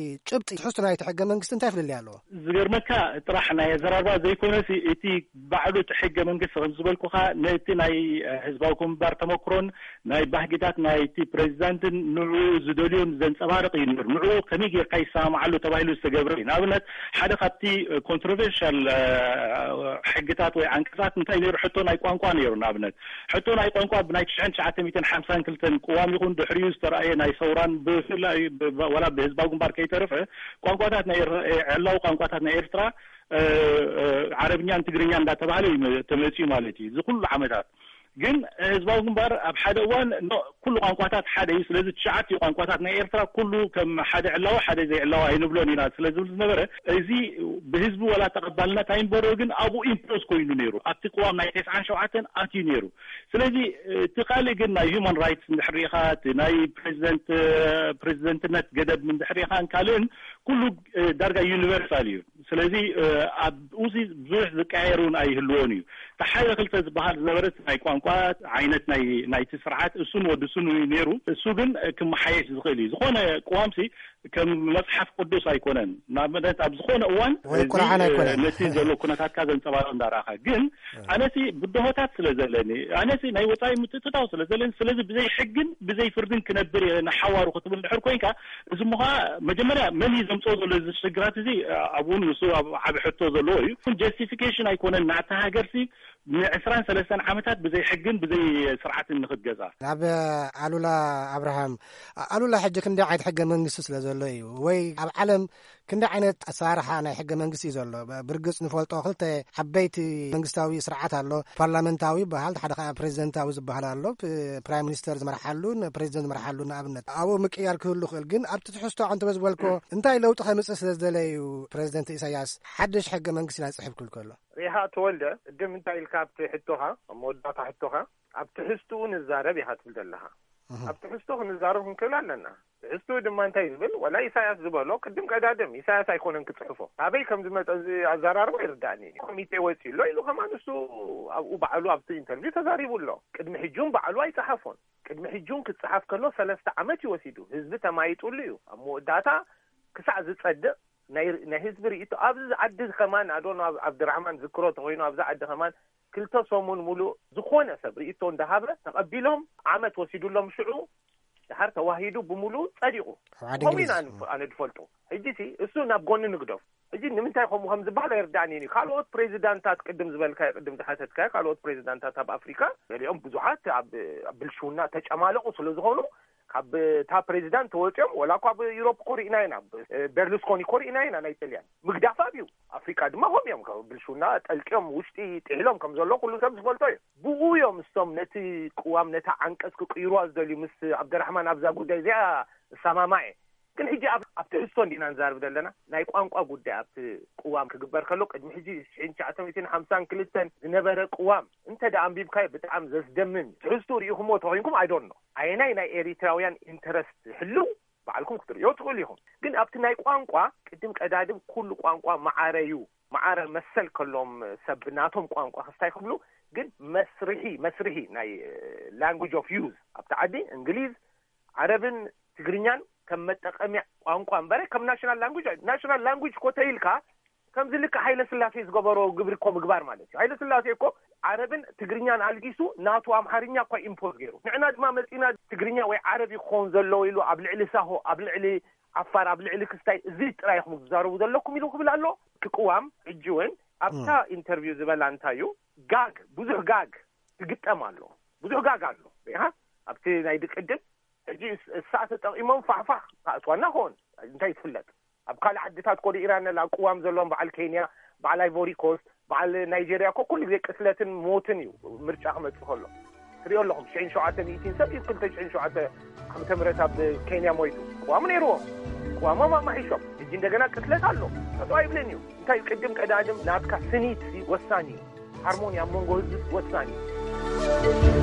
ጭብጢ ትሕዝቶ ናይቲ ሕገ መንግስቲ እንታይ ፍልልይ ኣለዎ? ዝገርመካ ጥራሕ ናይ ኣዘራርባ ዘይኮነሲ እቲ ባዕሉ እቲ ሕገ መንግስቲ ከም ዝበልኩኻ ነቲ ናይ ህዝባዊ ግንባር ተመክሮን ናይ ባህግታት ናይቲ ፕሬዚዳንትን ንዕኡ ዝደልዮን ዘንጸባርቕ እዩ ነይሩ። ንዕኡ ከመይ ጌርካ ይሰማምዓሉ ተባሂሉ ዝተገብረ እዩ። ንኣብነት ሓደ ካብቲ ኮንትሮቨርሻል ሕግታት ወይ ዓንቀጻት እንታይ ነይሩ? ሕቶ ናይ ቋንቋ ነይሩ። ንኣብነት ሕቶ ናይ ቋንቋ ብናይ ትሽዓን ትሽዓተ ሚእትን ሓምሳን ክልተን ቅዋም ይኹን ድሕሪኡ ዝተረኣየ ናይ ሰውራን ብፍላይ ወላ ብህዝባዊ ግንባር ከይተረፈ ቋንቋታት ናይ ዕላዊ ቋንቋታት ናይ ኤርትራ ዓረብኛን ትግርኛ እንዳተባሃለ እዩ ተመፅዩ ማለት እዩ። እዚ ኩሉ ዓመታት ግን ህዝባዊ ግንባር ኣብ ሓደ እዋን ኩሉ ቋንቋታት ሓደ እዩ፣ ስለዚ ትሽዓተ ቋንቋታት ናይ ኤርትራ ኩሉ ከም ሓደ ዕላዊ ሓደ ዘይዕላዊ ኣይንብሎን ኢና ስለ ዝብል ዝነበረ እዚ ብህዝቢ ወላ ተቐባልነት ኣይንበሮ ግን ኣብኡ ኢምፖዝ ኮይኑ ነይሩ። ኣብቲ ቅዋም ናይ ተስዓን ሸውዓተን ኣትዩ ነይሩ። ስለዚ እቲ ካልእ ግን ናይ ሂማን ራይትስ እንድሕር ርኢኻ እቲ ናይ ፕሬዚደንት ፕሬዚደንትነት ገደብ እንድሕር ርኢኻን ካልእን ኩሉ ዳርጋ ዩኒቨርሳል እዩ። ስለዚ ኣብኡ ብዙሕ ዝቀያየር እውን ኣይህልዎን እዩ። እቲ ሓደ ክልተ ዝበሃል ዝነበረ ናይ ቋንቋ ዓይነት ናይቲ ስርዓት እሱን ወዲ እሱን ነይሩ። እሱ ግን ክመሓየሽ ዝኽእል እዩ። ዝኾነ ቅዋምሲ ከም መፅሓፍ ቅዱስ ኣይኮነን። ንኣብነት ኣብ ዝኾነ እዋን ወይ ቁርዓን ኣይኮነን ነቲ ዘሎ ኩነታትካ ዘንፀባርቕ እንዳረኣኻ ግን ኣነሲ ብድሆታት ስለ ዘለኒ ኣነሲ ናይ ወፃኢ ምትእትታው ስለ ዘለኒ ስለዚ ብዘይ ሕግን ብዘይ ፍርድን ክነብር እየ ንሓዋሩ ክትብል ድሕር ኮይንካ እዚ ምዃ መጀመርያ መን እዩ ዘምፅኦ ዘሎ እዚ ሽግራት እዚ ኣብኡ ንሱ ኣብ ዓቢ ሕቶ ዘለዎ እዩ። ጀስቲፊኬሽን ኣይኮነን ናታ ሃገርሲ ንዕስራን ሰለስተን ዓመታት ብዘይ ሕግን ብዘይ ስርዓትን ንክትገዛ። ናብ ኣሉላ ኣብርሃም ኣሉላ ሕጂ ክንደይ ዓይነት ሕገ መንግስቲ ስለ ዘሎ እዩ ወይ ኣብ ዓለም ክንደይ ዓይነት ኣሰራርሓ ናይ ሕገ መንግስቲ እዩ ዘሎ? ብርግፅ ንፈልጦ ክልተ ዓበይቲ መንግስታዊ ስርዓት ኣሎ። ፓርላመንታዊ ይበሃል፣ ሓደ ከዓ ፕሬዚደንታዊ ዝበሃል ኣሎ። ፕራይም ሚኒስተር ዝመርሓሉ ፕሬዚደንት ዝመርሓሉ ንኣብነት ኣብኡ ምቅያር ክህሉ ይኽእል። ግን ኣብቲ ትሕዝቶ ዓንተ ዝበልኮ እንታይ ለውጢ ከምፅእ ስለ ዝደለ እዩ ፕሬዚደንት ኢሳያስ ሓድሽ ሕገ መንግስቲ ኢና ንፅሕፍ ክብል ከሎ? ሪኢኻ ተወልደ ቅድም እንታይ ኢልካ ኣብቲ ሕቶኻ ኣብ መወዳእታ ሕቶኻ ኣብ ትሕዝትኡ ንዛረብ ኢኻ ትብል ዘለኻ። ኣብ ትሕዝቶ ክንዛረብ ክንክእል ኣለና። ትሕዝትኡ ድማ እንታይ ዝብል ወላ ኢሳያስ ዝበሎ ቅድም ቀዳድም ኢሳያስ ኣይኮነን ክፅሕፎ ካበይ ከም ዝመፀ እዚ ኣዘራርባ ይርዳእኒ። ኮሚቴ ወፂ ኣሎ ኢሉ ከማን እሱ ኣብኡ ባዕሉ ኣብቲ ኢንተርቪው ተዛሪቡ ኣሎ። ቅድሚ ሕጂ እውን ባዕሉ ኣይፀሓፎን። ቅድሚ ሕጂ እውን ክፀሓፍ ከሎ ሰለስተ ዓመት እዩ ወሲዱ። ህዝቢ ተማይጡሉ እዩ። ኣብ መወዳእታ ክሳዕ ዝፀድቕ ናይ ህዝቢ ርእይቶ ኣብዚ ዓዲ ከማን ኣዶኖ ኣብድራሕማን ዝክሮ ተኮይኑ ኣብዚ ዓዲ ከማን ክልተ ሰሙን ሙሉእ ዝኾነ ሰብ ርእይቶ እንዳሃበ ተቐቢሎም ዓመት ወሲዱሎም ሽዑ ድሓር ተዋሂዱ ብምሉኡ ጸዲቑ። ከምኡ ኢና ኣነ ድፈልጦ። ሕጂ ሲ እሱ ናብ ጎኒ ንግደፍ። እዚ ንምንታይ ከምኡ ከም ዝበሃል ኣይርዳእን እዩ። ካልኦት ፕሬዚዳንታት፣ ቅድም ዝበልካዮ፣ ቅድም ዝሓተትካዮ፣ ካልኦት ፕሬዚዳንታት ኣብ ኣፍሪካ፣ ገሊኦም ብዙሓት ኣብ ኣብ ብልሽውና ተጨማለቑ ስለ ዝኾኑ፣ ካብ እታ ፕሬዚዳንት ተወፂኦም፣ ወላ እኳ ኣብ ዩሮፕ እኮ ርኢና ኢና፣ ብ- ቤርሉስኮኒ እኮ ርኢና ኢና፣ ናይ ጥልያን ምግዳፍ ኣብዩ። ኣፍሪካ ድማ ከምኡ እዮም፣ ካብ ብልሽውና ጠልቅዮም ውሽጢ ጥሒሎም ከም ዘሎ ኩሉ ሰብ ዝፈልጦ እዩ። ብኡ እዮም እሶም ነቲ ቅዋም፣ ነታ ዓንቀፅ ክቅይሩዋ ዝደልዩ። ምስ ዓብደራሕማን ኣብዛ ጉዳይ እዚኣ እሰማማዕ እየ። ግን ሕጂ ኣብ ኣብ ትሕዝቶ እንዲና ንዛርብ ዘለና፣ ናይ ቋንቋ ጉዳይ ኣብቲ ቅዋም ክግበር ከሎ፣ ቅድሚ ሕጂ ሽሕን ትሽዓተ ሚእትን ሓምሳን ክልተን ዝነበረ ቅዋም እንተ ደኣ ኣንቢብካዮ፣ ብጣዕሚ ዘስደምም እዩ። ትሕዝቱ ርኢኹምዎ ተኾይንኩም፣ ኣይዶን ነው ኣየናይ ናይ ኤሪትራውያን ኢንተረስት ህልው ባዕልኩም ክትርእዮ ትኽእሉ ኢኹም። ግን ኣብቲ ናይ ቋንቋ፣ ቅድም ቀዳድም ኩሉ ቋንቋ ማዕረ እዩ። ማዕረ መሰል ከሎም ሰብ ናቶም ቋንቋ ክስታይ ክብሉ፣ ግን መስርሒ መስርሒ ናይ ላንጉጅ ኦፍ ዩዝ ኣብቲ ዓዲ እንግሊዝ፣ ዓረብን ትግርኛን ከም መጠቀምያ ቋንቋ እምበረ ከም ናሽናል ላንጉጅ፣ ናሽናል ላንጉጅ እኮ ተይልካ፣ ከምዚ ልክዕ ሃይለ ስላሴ ዝገበሮ ግብሪ እኮ ምግባር ማለት እዩ። ሃይለ ስላሴ እኮ ዓረብን ትግርኛን ኣልጊሱ ናቱ ኣምሓርኛ እኳ ኢምፖዝ ገይሩ። ንዕና ድማ መጺና ትግርኛ ወይ ዓረብ ይኾን ዘለዎ ኢሉ ኣብ ልዕሊ ሳሆ፣ ኣብ ልዕሊ ዓፋር፣ ኣብ ልዕሊ ክስታይ፣ እዚ ጥራይ ኢኹም ትዛረቡ ዘለኩም ኢሉ ክብል ኣሎ። ክቅዋም ሕጂ እውን ኣብታ ኢንተርቪው ዝበላ እንታይ እዩ፣ ጋግ፣ ብዙሕ ጋግ ትግጠም ኣሎ። ብዙሕ ጋግ ኣሎ። ሪኢኻ ኣብቲ ናይ ድቅድም ሕጂ እስ- እሳ ተጠቂሞም ፋሕፋሕ ካእትዋና ኾን እንታይ ትፍለጥ? ኣብ ካልእ ዓድታት ኮዲ ኢራን ኣላ ቅዋም ዘለዎም፣ በዓል ኬንያ፣ በዓል ኣይቮሪ ኮስት፣ በዓል ናይጄርያ እኮ ኩሉ ግዜ ቅትለትን ሞትን እዩ ምርጫ ክመጽእ ከሎ። ትሪኦ ኣለኹም፣ ሽሕን ሸውዓተ ሚእትን ሰብ እዩ ክልተ ሽሕን ሸውዓተ ዓመተ ምህረት ኣብ ኬንያ ሞይቱ። ቅዋሙ ነይርዎም፣ ቅዋሞም ኣማሒሾም። ሕጂ እንደገና ቅትለት ኣሎ፣ ጠጠው ኣይብልን እዩ። እንታይ እዩ፣ ቅድም ቀዳድም ናትካ ስኒት ወሳኒ እዩ። ሃርሞኒ ኣብ መንጎ ህዝቢ ወሳኒ እዩ።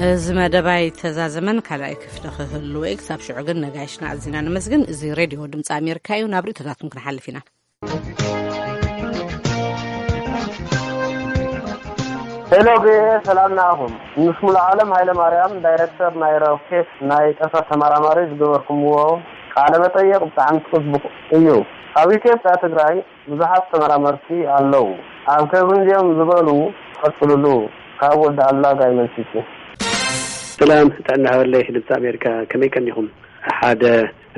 እዚ መደባይ ተዛዘመን ካልኣይ ክፍሊ ክህልዎ እዩ። ክሳብ ሽዑ ግን ነጋይሽና ኣዚና ነመስግን። እዚ ሬድዮ ድምፂ ኣሜሪካ እዩ። ናብ ርእቶታትኩም ክንሓልፍ ኢና። ሄሎ ቪኦኤ፣ ሰላም ንኣኹም። ምስ ሙሉ ዓለም ሃይለ ማርያም፣ ዳይረክተር ናይ ሮኬት ናይ ጠፈር ተመራማሪ ዝገበርኩምዎ ቃለ መጠየቕ ብጣዕሚ ጽቡቕ እዩ። ኣብ ኢትዮጵያ ትግራይ ብዙሓት ተመራመርቲ ኣለዉ። ኣብ ከምዚኦም ዝበሉ ቀጽልሉ። ካብ ወዲ ኣላ ጋይመንሲቲ። ሰላም ጥዕና ሃበለይ ድምፂ ኣሜሪካ፣ ከመይ ቀኒኹም? ሓደ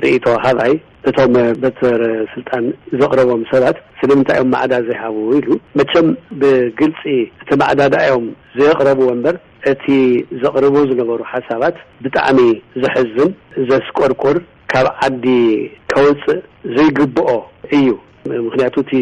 ርእይቶ ሃባይ እቶም በትር ስልጣን ዘቕረቦም ሰባት ስለምንታይ እዮም ማዕዳ ዘይሃቡ ኢሉ። መቸም ብግልፂ እቲ ማዕዳ ደኣ እዮም ዘየቕረብዎ እምበር እቲ ዘቕርቡ ዝነበሩ ሓሳባት ብጣዕሚ ዘሕዝን ዘስቆርቁር ካብ ዓዲ ከውፅእ ዘይግብኦ እዩ። ምክንያቱ እቲ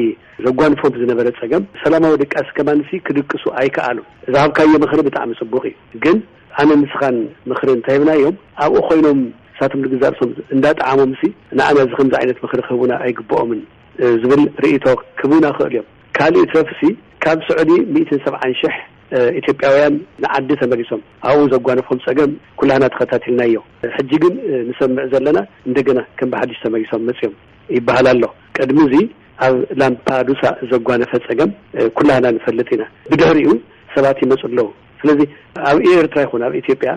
ዘጓንፎም ዝነበረ ፀገም ሰላማዊ ድቃስ ከማንሲ ክድቅሱ ኣይከኣሉን። ዝሃብካዮ ምኽሪ ብጣዕሚ ፅቡቕ እዩ፣ ግን ኣነ ንስኻን ምኽሪ እንተሂብናዮም ኣብኡ ኮይኖም ንሳቶም ንግዛእ ርእሶም እንዳጠዓሞምሲ ንኣና እዚ ከምዚ ዓይነት ምኽሪ ክህቡና ኣይግብኦምን ዝብል ርእይቶ ክህቡና ክእል እዮም። ካልእ ይትረፍሲ ካብ ስዑዲ ሚእትን ሰብዓን ሽሕ ኢትዮጵያውያን ንዓዲ ተመሊሶም ኣብኡ ዘጓነፎም ፀገም ኩላህና ተኸታቲልናዮ። ሕጂ ግን ንሰምዕ ዘለና እንደገና ከም ብሓድሽ ተመሊሶም መፅዮም ይበሃል ኣሎ። ቅድሚ እዚ ኣብ ላምፓዱሳ ዘጓነፈ ፀገም ኩላህና ንፈልጥ ኢና። ብድሕሪኡ ሰባት ይመፁ ኣለዉ። ስለዚ ኣብ ኤርትራ ይኹን ኣብ ኢትዮጵያ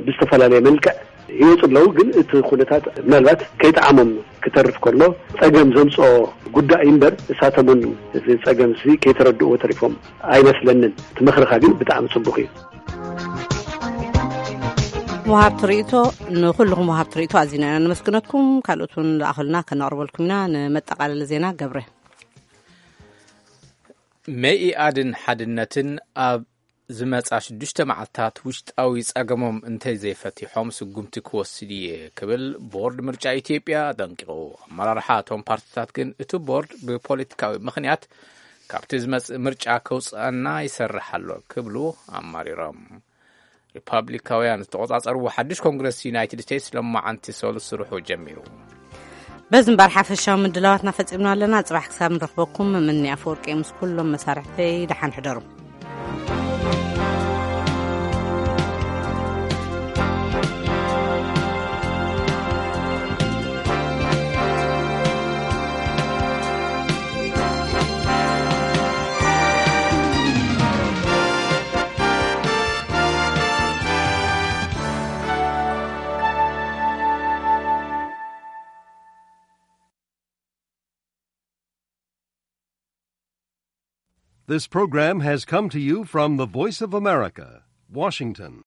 ብዝተፈላለየ መልክዕ ይወፁ ኣለዉ። ግን እቲ ኩነታት ምናልባት ከይጠዓሞም ክተርፍ ከሎ ፀገም ዘምፅኦ ጉዳይ እምበር እሳቶም እውን እዚ ፀገም እዚ ከይተረድእዎ ተሪፎም ኣይመስለንን። እቲ ምኽርኻ ግን ብጣዕሚ ፅቡቕ እዩ። መሃብቲ ርእይቶ ንኩልኹም መሃብቲ ርእይቶ ኣዚና ኢና ነመስግነኩም። ካልኦት እውን ዝኣኸሉና ከነቕርበልኩም ኢና። ንመጠቓለሊ ዜና ገብረ። መኢኣድን ሓድነትን ኣብ ዝመጻ ሽዱሽተ መዓልታት ውሽጣዊ ጸገሞም እንተዘይፈቲሖም ስጉምቲ ክወስድ እየ ክብል ቦርድ ምርጫ ኢትዮጵያ ኣጠንቂቑ። ኣመራርሓ እቶም ፓርቲታት ግን እቲ ቦርድ ብፖለቲካዊ ምኽንያት ካብቲ ዝመጽእ ምርጫ ከውጽኣና ይሰርሕ ኣሎ ክብሉ ኣማሪሮም። ሪፓብሊካውያን ዝተቖጻጸርዎ ሓድሽ ኮንግረስ ዩናይትድ ስቴትስ ሎማዓንቲ ሰሉስ ስርሑ ጀሚሩ። በዚ እምበር ሓፈሻዊ ምድላዋትና ፈጺምና ኣለና። ጽባሕ ክሳብ ንረኽበኩም ምኒ ኣፈወርቂ ምስ ኩሎም መሳርሕተይ ደሓን ሕደሩ። This program has come to you from the Voice of America, Washington.